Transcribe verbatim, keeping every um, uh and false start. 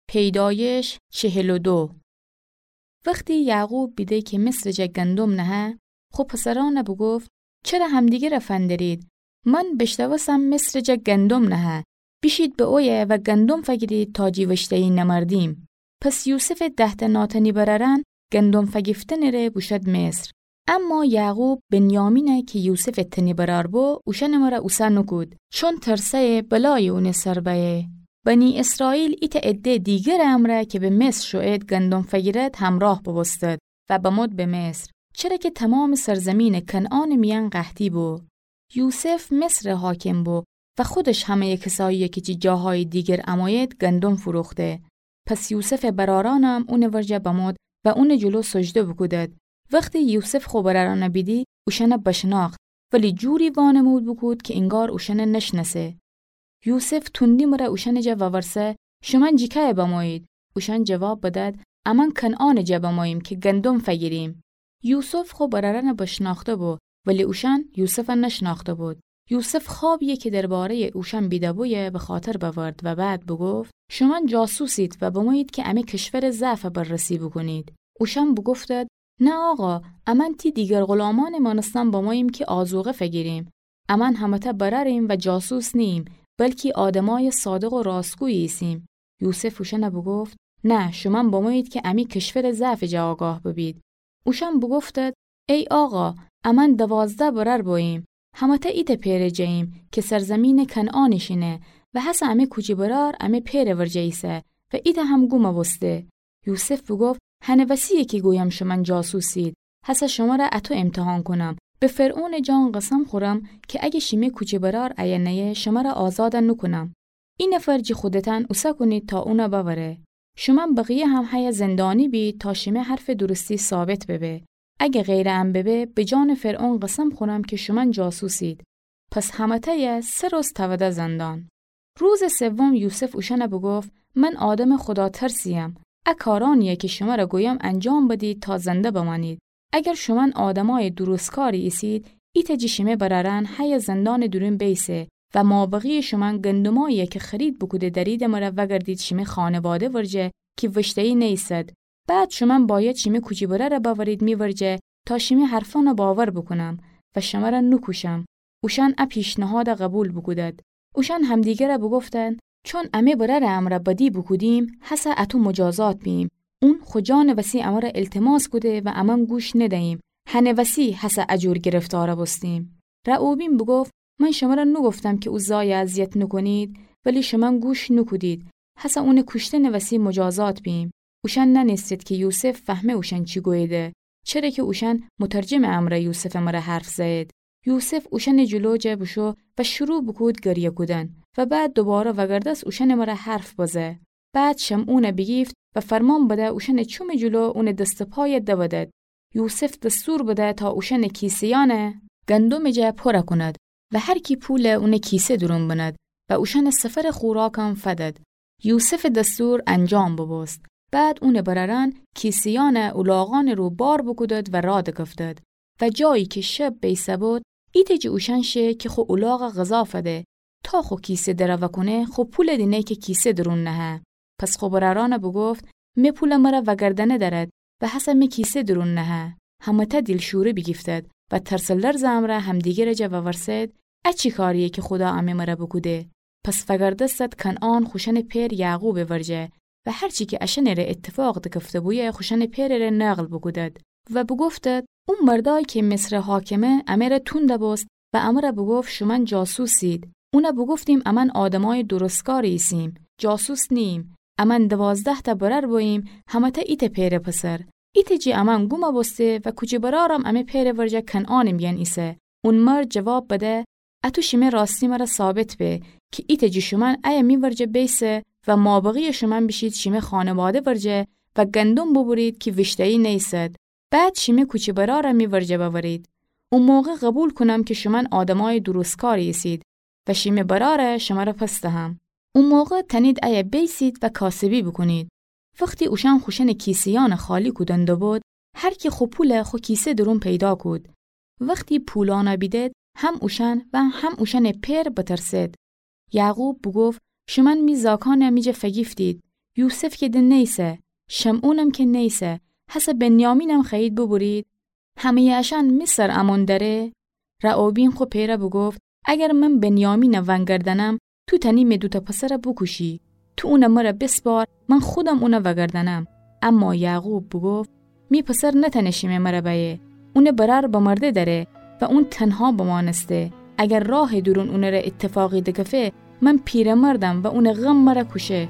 پیدایش چهل و دو. وختی یعقوب بیده کی مصرٚ جا گندم نهه، خو پسرأنَ بوگفت: چره همدیگرَ فندرید؟ من بیشنوستم مصرٚ جا گندم نهه. بیشید به اویه و گندم فگیرید تا جی وشته‌یی نمردیم. پس یوسفٚ ده‌تأ ناتأنی برأرأن گندم فگیفتنٚ ره بوشود مصر. اما یعقوب بنیامینَ کی یوسفٚ تأنی برأر بو، اوشأنٚ مره اوسه نوکود، چون ترسه‌یه بلایی اونٚ سر بأیه. بنی اسرائیل ایتأ عده‌یٚ دیگرٚ امرأ کی به مصر شوئید گندم فگیرد همرأه بوبوستد و بمود به مصر، چره کی تومامٚ سرزیمینٚ کنعانٚ میأن قحطی بو. یوسف مصرٚ حاکم بو و خودش همه‌یٚ کسأیی‌یَ کی جی جاهایٚ دیگر امویید گندم فروخته. پس یوسفٚ برأرأنم اونٚ ورجه بمود و اونٚ جلو سجده بوکودد. وختی یوسف خو برأرأنَ بیدی، اوشأنَ بشنأخت، ولی جوری وانمود بوکود کی انگار اوشأنَ نشنأسه. یوسف توندی مره اوشأنٚ جا وورسه: شومأن جی کأیه بمویید؟ اوشأن جواب بدد: امأن کنعانٚ جا بموییم کی گندم فگیریم. یوسف خو برأرأنَ بشنأخته بو، ولی اوشأن یوسفَ نشنأخته بود. یوسف خوابی‌یَ کی درباره‌یٚ اوشأن بیده‌بویه بخاطر بأورد و بعد بوگفت: شومأن جاسوسید و بمویید کی امی کشورٚ ضعفَ بررسی بوکونید. اوشأن بوگفتد: نه آقا، امأن تی دیگر غلامأنٚ مأنستن بموییم کی آذوقه فگیریم. امأن همه‌تأ برأریم و جاسوس نیییم، بلکی آدمأیٚ صادق و راستگویی ایسیم. یوسف اوشأنَ بوگفت: نه، شومأن بمویید کی امی کشورٚ ضعفٚ جا آگاه ببید. اوشأن بوگفتد: ای آقا، امأن دوازده برأر بوییم، همه‌تأ ایتأ پئرٚ جاییم کی سرزیمینٚ کنعانٚ شینه و هسه امی کوچی برأر امی پئرٚ ورجه ایسه و ایتأ هم گوم بوسته. یوسف بوگفت: هنٚ وسی‌یه کی گویم شومأن جاسوسید. هسه شمره اطو امتحان کونم. به فرعونٚ جان قسم خورم کی اگه شیمه کوچی برأر ایه نأیه، شمره آزاد نوکونم. ای نفر جی خودتأن اوسه کونید تا اونَ بأوره. شومأن بقیه هم هیه زندانی بید تا شیمه حرفٚ درستی ثابت ببه. اگه غیرٚ ان ببه، به جانٚ فرعون قسم خورم کی شومأن جاسوسید. پس همه‌تأیَ سه روز تأوده زندان. روزٚ سوم یوسف اوشأنَ بوگفت: من آدمٚ خوداترسی‌یم. ا کارأنی‌یَ کی شمره گویم انجام بدید تا زنده بمأنید. اگر شومأن آدمأیٚ درستکاری ایسید، ایتأ جی شیمه برأرأن هیه زندانٚ دورون بیسه و مابقیٚ شومأن گندمأیی‌یَ کی خرید بوکوده دأریدٚ مره وأگردید شیمه خانواده ورجه کی وشته‌یی نیسد. بعد شومأن بأید شیمه کوچی برأرَ بأورید می ورجه تا شیمه حرفأنَ باور بوکونم و شمره نوکوشم. اوشأن ا پیشنهادَ قوبیل بوکودد. اوشأن همدیگرَ بوگفتند: چون امه برأرٚ امرأ بدی بوکودیم، هسه اطو مجازات بییم. اون خو جانٚ وسی امره ایلتماس کوده و امأن گوش ندییم. هنٚ وسی هسه ا جور گرفتار بوستیم. رعوبین بوگفت: من شمره نوگفتم کی او زایَ اذیت نوکونید، ولی شومأن گوش نوکودید. هسه اونٚ کوشتنٚ وسی مجازات بییم. اوشأن نأنستید کی یوسف فهمه اوشأن چی گوییده، چره کی اوشأن مترجمٚ امرأ یوسفٚ مره حرف زأیید. یوسف اوشأنٚ جلو جا بوشو و شروع بوکود گریه کودن و بعد دوباره وأگردس اوشأنٚ مره حرف بزه. بعد شمعونَ بیگیفت و فرمان بده اوشأنٚ چومٚ جلو اونٚ دست و پایَ دبدد. یوسف دستور بده تا اوشأنٚ کیسه‌یأنَ گندمٚ جا پورَ کند و هر کی پولَ اونٚ کیسه دورون بند و اوشأنٚ سفرٚ خوراکم فدد. یوسفٚ دستور انجام ببوست. بعد اونٚ برأرأن کیسه‌یأنَ الاغأنٚ رو بار بوکودد و رأ دکفتد و جایی کی شب بیسه بود، ایتأ جی اوشأن شه کی خو الاغَ غذا فده، تا خو کیسه درَ وأکونه خو پولَ دینه کی کیسه دورون نهه. پس خو برأرأنَ بوگفت: مه پولَ مرَ وأگردأنه دأرد و هسه مه کیسه دورون نهه. همه‌تأ دیلشوره بیگیفتد و ترس و لرزٚ امرأ همدیگرٚ جا وورسد: ا چی کارییه کی خودا امه مرَ بوکوده؟ پس وأگردستد کنعان خوشأنٚ پئر یعقوبٚ ورجه و هر چی کی اشأنٚره ایتفاق دکفته بویه خوشأنٚ پئرٚره نقل بوکودد و بوگفتد: او مردأیی کی مصرٚ حاکمه امه ره توند بوست و امه ره بوگفت شومأن جاسوسید. اونَ بوگفتیم امأن آدمأیٚ درستکاری ایسیم، جاسوس نیییم. امأن دوازده‌تأ برأر بوییم، همه‌تأ ایتأ پئرٚ پسر. ایتأ جی امأن گوم بوسته و کوچی برأرم امه پئرٚ ورجه کنعانٚ میأن ایسه. اون مرد جواب بده: اتو شیمه راستی مرَ ثابت به کی ایتأ جی شومأن ایه می ورجه بیسه و مابقییٚ شومأن بیشید شیمه خانواده ورجه و گندم ببرید کی ویشته‌یی نیسد. بعد شیمه کوچی برأرَ می ورجه بأورید. او موقع قوبیل کونم کی شومأن آدمأیٚ درستکاری ایسید و شیمه برأرَ شمرَ پس دهم. او موقع تأنید ایه بیسید و کاسبی بوکونید. وختی اوشأن خوشأنٚ کیسه‌یأنَ خالی کودن دوبود، هر کی خو پولَ خو کیسه دورون پیدا کود. وختی پولأنَ بیدد، هم اوشأن و هم اوشأنٚ پئر بترسد. یعقوب بوگفت: شومأن می زاکأنَ می جا فگیفتید. یوسف کی ده نیسه، شمعونم کی نیسه، هسه بنیامینم خوأیید ببرید؟ همه‌یٚ اشأن مصر امون دأره؟ رعوبین خو پئره بوگفت: اگر من بنیامین وأنگردأنم، تو تأنی می دوتأ پسر بوکوشی. تو اون مر بسپار، من خودم اون وأگردأنم. اما یعقوب بوگفت: می پسر نتأنه شیمه مر بأیه. اون برأر بمرده دأره و اون تنها بمأنسته. اگر راهٚ دورون اون ره ایتفاقی دکفه، من پیرمردم و اون غم مر کوشه.